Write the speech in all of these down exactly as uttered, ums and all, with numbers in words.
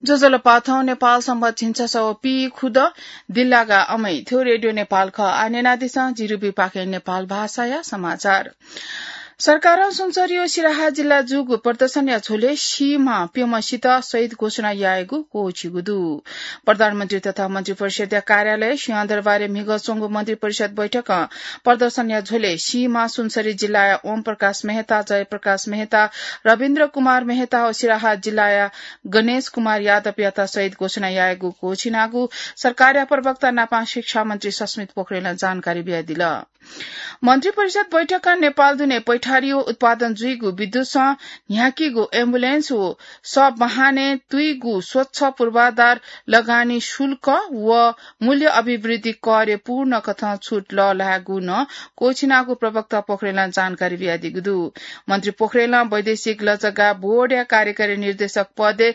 ज्वजलपा, थौं नेपाल संवत् झिंछसः व पीखुदँ दिल्लागा अमै थ्व रेडियो नेपाल खः। आः न्यनादिसँ, जिरुबी पाखें नेपाल भाषाया समाचार। सरकारं सुनसरी व सिराहा जिल्ला जूगु प्रदर्शनया झ्वलय् सीम्ह प्यम्ह सित शहीद घोषणा यायेगु क्वःछिगु दु। प्रधानमन्त्री तथा मन्त्रिपरिषद्या कार्यालय सिंहदरबारय् म्हिगः च्वंगु मन्त्रिपरिषद बैठकं प्रदर्शनया झ्वलय् सीम्ह सुनसरी जिल्लाया ओम प्रकाश मेहता, जय प्रकाश मेहता, रविन्द्र कुमार मेहता व सिराहा जिल्लाया गणेश कुमार यादवयात शहीद घोषणा यायेगु क्वःछिनागु सरकारया प्रवक्ता नापं शिक्षा मन्त्री सस्मित पोखरेलं जानकारी बियादिल। मन्त्रिपरिषद बैठकं नेपाल दुने पैठारी व उत्पादन जुइगु विद्युतसं न्ह्याकीगु एम्बुलेन्स व सब वाहनय् तुइगु स्वच्छ पूर्वाधार लगानी शुल्क व मूल्य अभिवृद्धि करय् पूर्ण कथं छुट लःल्हायेगु नं क्वःछिनागु प्रवक्ता पोखरेलं जानकारी बियादीगु दु। मन्त्री पोखरेलं वैदेशिक लजगाः बोर्डया कार्यकारी निर्देशक पदय्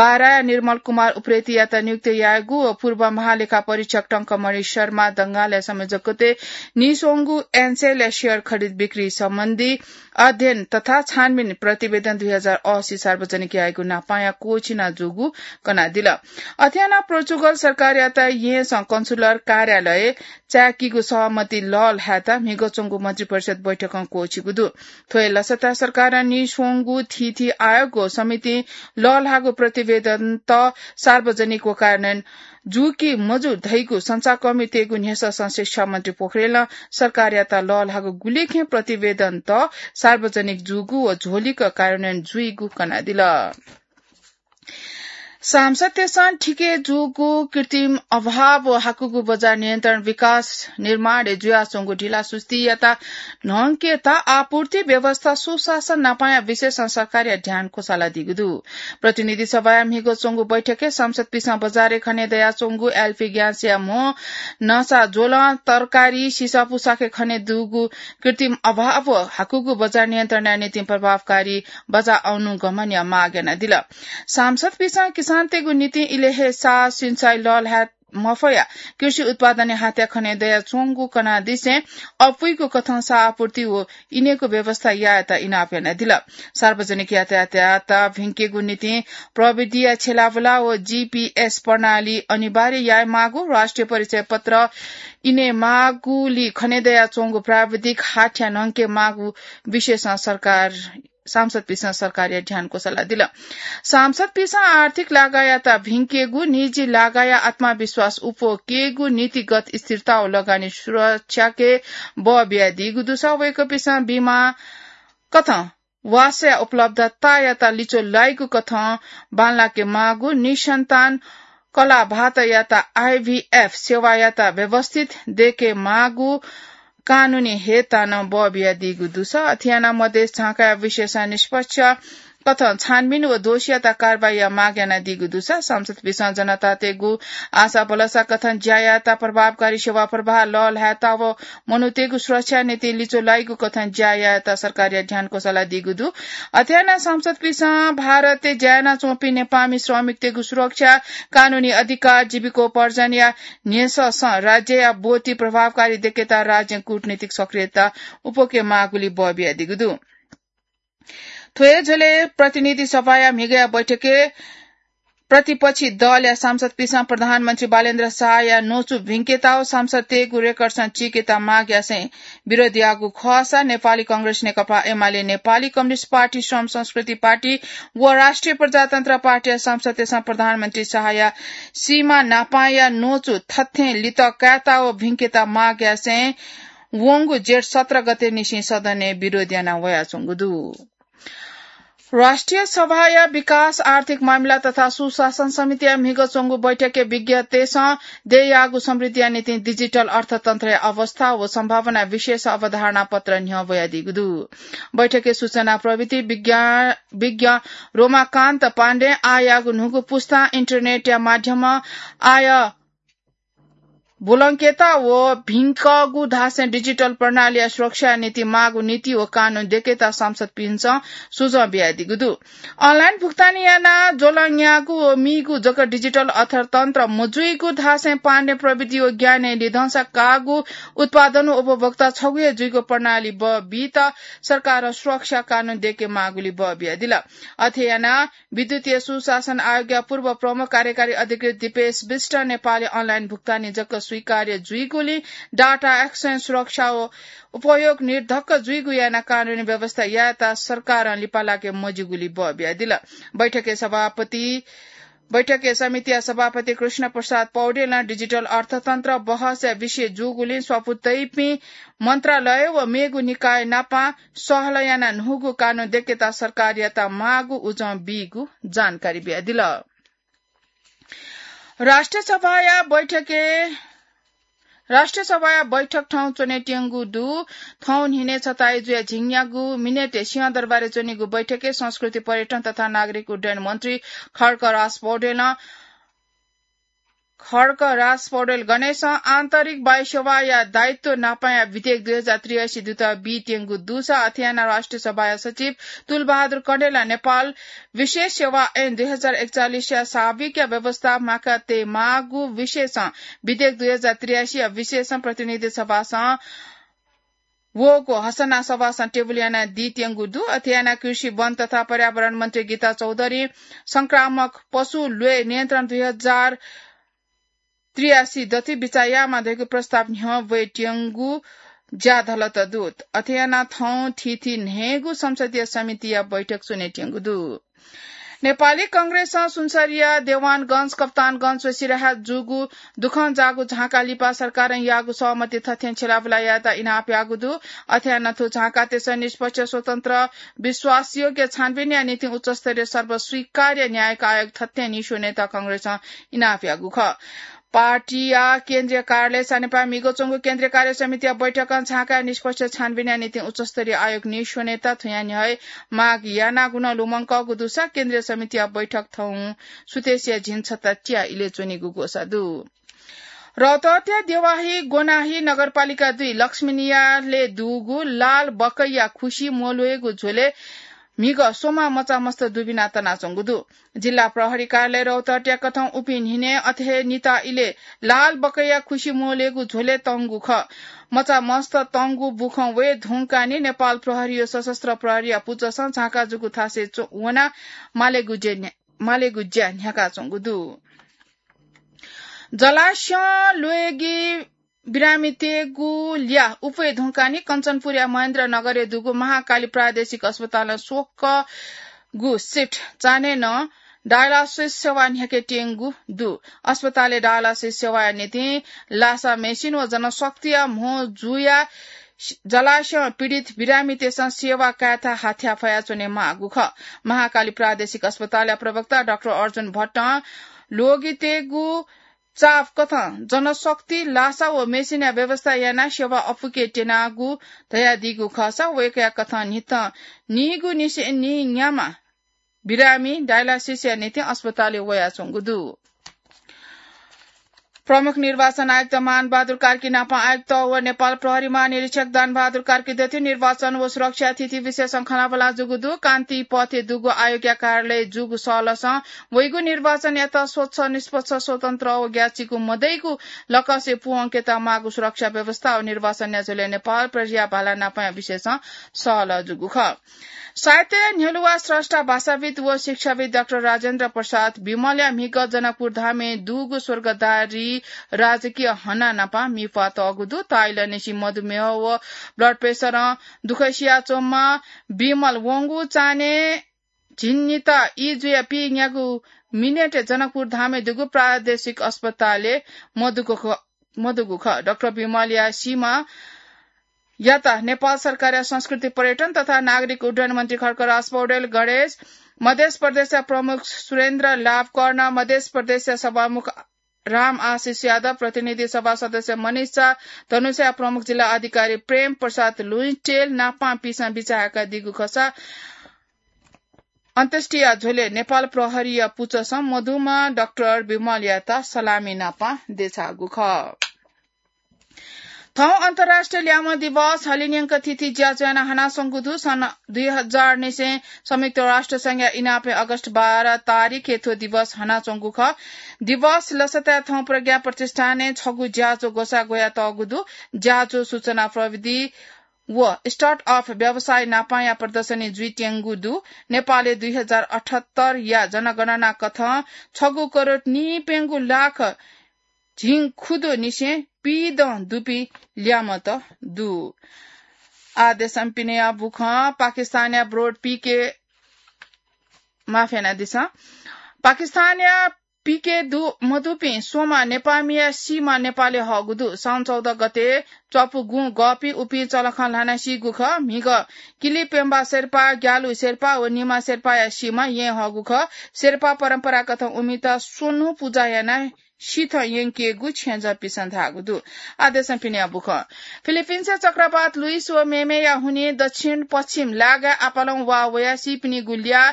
बाराया निर्मल कुमार उप्रेतीयात नियुक्त यायेगु व पूर्व महालेखा परीक्षक टंकमणि शर्मा दंगालया संयोजकत्वय् नीस्वंगु एनसेलया सेयर खरिद बिक्री सम्बन्धी अध्ययन तथा छानबिन प्रतिवेदन दुई हजार असी सार्वजनिक यायेगु नापंया क्वःछिना जूगु कनादिल। अथे यानाः पोर्चुगल सरकारयात येँसं कन्सुलर कार्यालय चाय्‌कीगु सहमति लःल्हायेत म्हिगः च्वंगु मन्त्रिपरिषद बैठकं क्वःछिगु दु। थ्व हे लसता सरकारं नीस्वंगु थीथी आयोग व समितिं लःल्हाःगु प्रतिवेदनत सार्वजनिक व कार्यान्वयन जू कि मजू धइगु संचारकर्मीतय्‌गु न्ह्यसःसं शिक्षा मन्त्री पोखरेलं सरकारयात लःल्हाःगु गुलिखें प्रतिवेदनत सार्वजनिक जूगु व झ्वलिक कार्यान्वयन जुइगु कनादिल। सांसदतय्‌सं थिके जूगु कृत्रिम अभाव व हाकुगु बजार नियन्त्रण विकास निर्माणय् जुयाच्वंगु ढिलासुस्तीयात न्हंकेत आपूर्ति व्यवस्था सुशासन नापंया विषयसं सरकारया ध्यान क्वसालादीगु दु। प्रतिनिधि सभाया म्हिगः च्वंगु बैठकय् सांसदपिसं बजारय् खने दयाच्वंगु एलपी ग्यासया म्हो, नसा ज्वलं, तरकारी, सिसः पुसाखय् खने दुगु कृत्रिम अभाव व हाकुगु बजार नियन्त्रणया निंतिं प्रभावकारी बजार अनुगमनया माग यानादिल। सांसदपिसं किसानतय्‌गु निंतिं इलय् हे साः सिँचाइ लःल्हाये मफया कृषि उत्पादनया हातय् खने दयाच्वंगु कनादिसें अप्वइगु कथं साः आपूर्ति व इनेगु व्यवस्था यायेत इनाप यानादिल। सार्वजनिक यातायातयात भिंकेगु निंतिं प्रविधिया छ्यलाबुला व जीपीएस प्रणाली अनिवार्य यायेमाःगु, राष्ट्रिय परिचय पत्र इनेमाःगुलिं खने दयाच्वंगु प्राविधिक हाथ्या न्हंकेमाःगु विषयसं सरकार सांसदपिसं सरकारया ध्यान क्वसालादिल। सांसदपिसं आर्थिक लागायात भिंकेगु, निजी लागाया आत्मविश्वास उप्वकेगु, नीतिगत स्थिरता व लगानी सुरक्षाके बः बियादीगु दुसा वय्‌कःपिसं बीमा कथं वासया उपलब्धतायात लिच्वः लाइगु कथं बांलाके माःगु, निसन्तान कलाभातयात आईभीएफ सेवायात व्यवस्थित दयेके माःगु कानूनी हेतानं बः बियादीगु दुसा अथे यानाः मधेस झाँकाया विषयसं निष्पक्ष कथं छानबिन व दोषीयात कारवाहीया माग यानादीगु दुसा सांसदपिसं जनतातय्‌गु आशा भलसा कथं ज्या यायेत प्रभावकारी सेवा प्रवाह लःल्हायेत व मनूतय्‌गु सुरक्षाया निंतिं लिच्वः लाइगु कथं ज्या यायेत सरकारया ध्यान क्वसालादीगु दु। अथे यानाः सांसदपिसं भारतय् ज्या यानाच्वंपिं नेपाःमि श्रमिकतय्‌गु सुरक्षा, कानूनी अधिकार, जीविकोपार्जनया न्ह्यसःसं राज्यया ब्वति प्रभावकारी दयेकेत राज्यं कूटनीतिक सक्रियता उप्वके माःगुलिं बः बियादीगु दु। थ्व हे झ्वलय् प्रतिनिधि सभाया म्हिगःया बैठकय् प्रतिपक्षी दलया सांसदपिसं प्रधानमन्त्री बालेन्द्र शाहया न्वचु भिंकेत व सांसदतय्‌गु रेकर्डसं चीकेत माग यासें विरोध याःगु खःसा नेपाली कांग्रेस, नेकपा एमाले, नेपाली कम्युनिस्ट पार्टी, श्रम संस्कृति पार्टी व राष्ट्रिय प्रजातन्त्र पार्टीया सांसदतय्‌सं प्रधानमन्त्री शाहया सीमा न्हापांया न्वचु थथें लित कायेत व भिंकेत माग यासें वंगु जेठ सत्र गते निसें सदनय् विरोध याना वयाच्वंगु दु। राष्ट्रिय सभाया विकास, आर्थिक मामिला तथा सुशासन समितिया म्हिगः च्वंगु बैठकय् विज्ञतय्‌सं देय्‌याःगु समृद्धिया निंतिं डिजिटल अर्थतन्त्रया अवस्था व सम्भावना विषयस अवधारणा पत्र न्ह्यब्वयादीगु दु। बैठकय् सूचना प्रविधि विज्ञ, विज्ञ रोमाकान्त पाण्डें आःयाःगु न्हूगु पुस्तां इन्टरनेटया माध्यमं आय ब्वलंकेत व भिंकःगु धासें डिजिटल प्रणालीया सुरक्षा निंतिं माःगु नीति व कानून दय्केत सांसदपिन्सं सुझाव बियादीगु दु। अनलाइन भुक्तानी यानाः ज्वलंयाःगु व मीगु जक डिजिटल अर्थतन्त्र मजुइगु धासें पाण्डे प्रविधि व ज्ञानय् लिधंसा काःगु उत्पादन व उपभोक्ता छगू हे जुइगु प्रणाली बीत सरकारं सुरक्षा कानून दय्के माःगुलिं बः बियादिल। अथे यानाः विद्युतीय सुशासन आयोगया पूर्व प्रमुख कार्यकारी अधिकृत दिपेश विष्ट नेपालय् अनलाइन भुक्तानी जक स्वीकार्य जुइगुलिं डाटा एक्सचेन्ज सुरक्षा व उपयोग निर्धक्क जुइगु यानाः कानूनी व्यवस्था यायेत सरकारं लिपा लाके मज्यूगुलिं बः बियादिल। बैठकय् सभापति बैठकय् समितिया सभापति कृष्ण प्रसाद पौडेलं डिजिटल अर्थतन्त्र बहसया विषय जूगुलिं स्वापू तइपिं मन्त्रालय व मेगु निकाय नापं सहलह यानाः न्हूगु कानून दय्केत सरकारयात माःगु उजं बीगु जानकारी बियादिल। राष्ट्रिय सभाया बैठकय् राष्ट्रिय सभाया बैठक थौं च्वनेत्यंगु दु। थौं न्हिनय् छताइ जुया झिंन्यागू मिनेटय् सिंहदरबारय् च्वनीगु बैठकय् संस्कृति, पर्यटन तथा नागरिक उड्डयन मन्त्री खड्गराज पौडेलं खड्गराज पौडेल गणेशं आन्तरिक वायु सेवाया दायित्व नापाया विधेयक दुई हजार त्रियासी दुत बीत्यंगु दुसा अथे यानाः राष्ट्रिय सभाया सचिव तुलबहादुर कँडेलं नेपाल विशेष सेवा ऐन दुई हजार एकचालिसया साविकया व्यवस्था म्वाकातये माःगु विषयसं विधेयक दुई हजार त्रियासीया विषयसं प्रतिनिधि सभासं वःगु हसना सभासं टेबुल यानादीत्यंगु दु। अथे यानाः कृषि, वन तथा पर्यावरण मन्त्री गीता चौधरी संक्रामक पशु ल्वय् नियन्त्रण दुई हजार त्रियासी दति बिचाः यायेमाः धइगु प्रस्ताव न्ह्यः वयेत्यंगु ज्याधलत दु। अथे यानाः थौं थीथी न्हय्गू संसदीय समितिया बैठक च्वनेत्यंगु दु। नेपाली कांग्रेसं सुनसरीया देवानगंज, कप्तानगंज व सिराहा जूगु दुखं जाःगु झांका लिपा सरकारं याःगु सहमति थथें छ्यलाबुला यायेत इनाप याःगु दु। अथे यानाः थ्व झांकातय्सं निष्पक्ष, स्वतन्त्र, विश्वासयोग्य छानबिनया निंतिं उच्चस्तरीय सर्वस्वीकार्य न्यायिक आयोग थथें निस्वनेत कांग्रेसं इनाप याःगु खः। पार्टीया केन्द्रीय कार्यालय सानेपाः म्हिगः च्वंगु केन्द्रीय कार्य समितिया बैठकं झांकाया निष्पक्ष छानबिनया निंतिं उच्चस्तरीय आयोग निस्वनेत थुया न्ह्यः हे माग यानागु नं लुमंकःगु दुसा केन्द्रीय समितिया बैठक थौं सुथसिया झिंछता च्याः इलय् च्वनीगु ग्वसाः दु। रौतहटया देवाही गोनाही नगरपालिका दुई लक्ष्मीनियालय् दुगु लाल बकैया खुसि म्वल्वयेगु झ्वलय् म्हिगः स्वम्ह मचामस्त दुबिना तनाच्वंगु दु। जिल्ला प्रहरी कार्यालय रौतहटया कथं उपिं न्हिनय् अथे हे निता इलय् लाल बकैया खुसि म्वल्वयेगु झ्वलय् तंगु खः। मचामस्त तंगु बुखँ वये धुंकाः नि नेपाल प्रहरी व सशस्त्र प्रहरीया पुचःसं झांका जूगु थासय् च्व-, वनाः मालेगु ज्या न्ह्या-, मालेगु ज्या न्ह्याकाच्वंगु दु। जलाशयं ल्वय्गी बिरामीतय्गु ल्याः उफे धुंकाः नि कञ्चनपुरया महेन्द्रनगरय् दुगु महाकाली प्रादेशिक अस्पतालं स्वकःगु सिफ्ट चान्हय् नं डायलासिस सेवा न्ह्याकेत्यंगु दु। अस्पतालय् डायलासिस सेवाया निंतिं लासा मेसिन व जनशक्तिया म्हो जुयाः जलाशयं पीडित बिरामीतय्सं सेवा कायेथाय् हाथ्याः फयाच्वने माःगु खः। महाकाली प्रादेशिक अस्पतालया प्रवक्ता डाक्टर अर्जुन भट्टं ल्वय्गितय्गु चाप कथं जनशक्ति, लासा व मेसिनया व्यवस्था यानाः सेवा अप्वय्के त्यनागु धयादीगु खःसा वय्कःया कथं न्हिथं नीगु निसें नीन्याम्ह बिरामी डायलासिसया निंतिं अस्पतालय् वयाच्वंगु दु। प्रमुख निर्वाचन आयुक्त मान बहादुर कार्की नापं आयुक्त व नेपाल प्रहरी महानिरीक्षक दान बहादुर कार्की दथुइ निर्वाचन व सुरक्षा स्थिति विषयसं खँल्हाबल्हा जूगु दु। कान्ति पथय् दुगु आयोगया कार्यालयय् जूगु सहलहसं वइगु निर्वाचनयात स्वच्छ, निष्पक्ष, स्वतन्त्र व ग्याःचिकु मदइगु लकसय् पूवंकेत माःगु सुरक्षा व्यवस्था व निर्वाचनया झ्वलय् नेपाल प्रहरीया भाला नापंया विषयसं सहलह जूगु खः। साहित्यया न्ह्यलुवा स्रष्टा, भाषाविद् व शिक्षाविद् डाक्टर राजेन्द्र प्रसाद विमलया म्हिगः जनकपुर धामय् दुगु स्वर्गद्वारी राजकीय हना नापं मिप्वाः तःगु दु। ताइलंनिसें मधुमेह व ब्लड प्रेसरं दुःख सियाच्वंम्ह विमल वंगु चान्हय् झिंनिता ई जुयाः पीन्यागू मिनेटय् जनकपुर धामय् दुगु प्रादेशिक अस्पतालय् मदुगु ख-, मदुगु खः। डाक्टर विमलया सीमायात नेपाल सरकारया संस्कृति, पर्यटन तथा नागरिक उड्डयन मन्त्री खड्गराज पौडेल, गणेश, मध्य प्रदेशया प्रमुख सुरेन्द्र लाभकर्ण, मध्य प्रदेशया सभामुख राम आशिष यादव, प्रतिनिधि सभा सदस्य मनिषा, धनुषाया प्रमुख जिल्ला अधिकारी प्रेम प्रसाद लुइटेल नापं पिसं बिचाः याकादीगु खःसा अन्त्येष्टिया झ्वलय् नेपाल प्रहरीया पुचःसं मदुम्ह डाक्टर विमलयात सलामी नापं देछाःगु खः। थौं अन्तर्राष्ट्रिय ल्याय्म्ह दिवस हलिंन्यंक थीथी ज्याझ्वः यानाः हनाच्वंगु दु। सन् दुई हजार निसें संयुक्त राष्ट्र संघया इनापय् अगस्त बाह्र तारिखय् थ्व दिवस हनाच्वंगु खः। दिवस लसताय् थौं प्रज्ञा प्रतिष्ठानय् छगू ज्याझ्वः ग्वसाः ग्वयातःगु दु। ज्याझ्वः सूचना प्रविधि व स्टार्टअप व्यवसाय नापांया प्रदर्शनी जुइत्यंगु दु। नेपालय् दुई हजार अठहत्तर या जनगणना कथं छगू करोड नीप्यंगू लाख झिंखुदुनिसें पीदँ दुपिं ल्याय्म्हत दु। आः देशं पिनेया बुखँ। पाकिस्तानया ब्रोड पीके, माफ यानादिसँ, पाकिस्तानया पीके दु मदुपिं स्वम्ह नेपाःमिया सीम्ह नेपाली हःगु दु। साउन चौध गते च्वापु गुँ गःपिं उपिं चलखं ल्हानाः सीगु खः। म्हिगः किलिपेम्बा शेर्पा, ग्यालु शेर्पा व निमा शेर्पाया सीम्ह येँ हःगु खः। शेर्पा परम्परागत उमित स्वन्हु पुजा यानाः सिथं यंकेगु छेँजःपिसं धाःगु दु। आः देशं पिनेया बुखँ। फिलिपिन्सय् चक्रवात लुइस व मेमेया हुनिं दक्षिण पश्चिम लागाय् आपालं वा वयाः सीपिनिगु ल्याः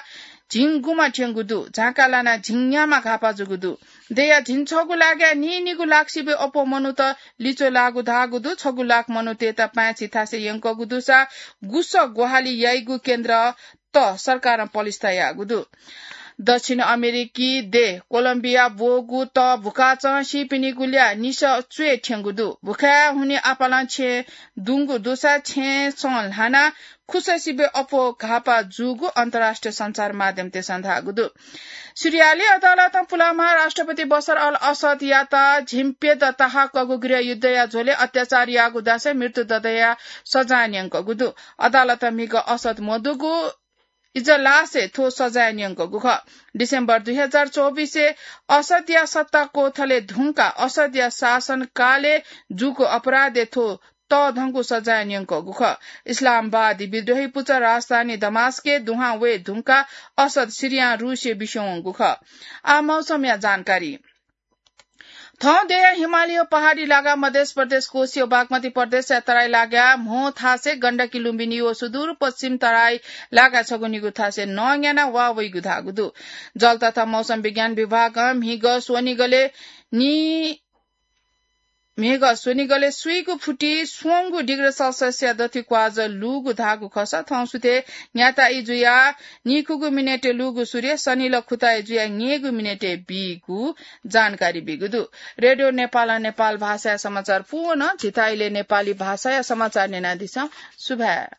झिंगुमा थ्यंगु दु। झांका लानाः झिंन्याम्ह घाःपाः जूगु दु। देय्या झिंछगू लागाय् नीनिगू लाख सिबय् अप्वः मनूत लिच्वः लाःगु धाःगु दु। छगू लाख मनूतय्त पाय्छि थासय् यंकःगु दुसा गुसः ग्वाहालि याइगु केन्द्रत सरकारं पलिस्था याःगु दु। दक्षिण अमेरिकी देय् कोलम्बिया ब्वःगु तः भुखाचं सीपिनिगु ल्याः निसः च्वय् थ्यंगु दु। भुखाय् हुनिं आपालं छेँ दुंगु दुसा छेँसं ल्हानाः खुसः सिबय् अप्वः घाःपाः जूगु अन्तर्राष्ट्रिय सञ्चार माध्यमतय्सं धाःगु दु। सिरियाय् अदालतं पुलांम्ह राष्ट्रपति बशर अल असदयात झिंप्यदँ ताहाकःगु गृहयुद्धया झ्वलय् अत्याचार याःगु धासें मृत्युदण्डया सजाय न्यंकःगु दु। अदालतं म्हिगः असद मदुगु इजलासय् थ्व सजाय न्यंकःगु खः। डिसेम्बर दुई हजार चौबिसय् असदया सत्ता कोथलय् धुंकाः असदया शासनकालय् जूगु अपराधय् थ्व तःधंगु सजाय न्यंकःगु खः। इस्लामवादी विद्रोही पुचः राजधानी दमास्कय् दुहां वये धुंकाः असद सिरियां रूसय् बिस्युं वंगु खः। आः मौसमया जानकारी। थौं देय्या हिमालय पहाडी लागाः मध्य प्रदेश कोशी व बागमती प्रदेशया तराई लागाय् म्हो थासय् गण्डकी लुम्बिनी व सुदूरपश्चिम तराई लागाय् छगू निगू थासय् नं न्यानाः वा वइगु धाःगु दु। जल तथा मौसम विज्ञान विभागं म्हिगः स्वनिगलय् नि म्हिगः स्वनिगलय् स्वीगू फुति स्वंगू डिग्री सेल्सियसया दथुइ क्वाःजः लूगु धाःगु खःसा थौं सुथय् न्याताइ जुयाः नीखुगू मिनेटय् लूगु सूर्य सनिलः खुताइ जुयाः न्यय्गू मिनेटय् बीगु जानकारी बीगु दु। रेडियो नेपालं नेपाल भाषाया समाचार पूवन। झीथाय् इलय् नेपाली भाषाया समाचार न्यनादिसँ। सुभाय्।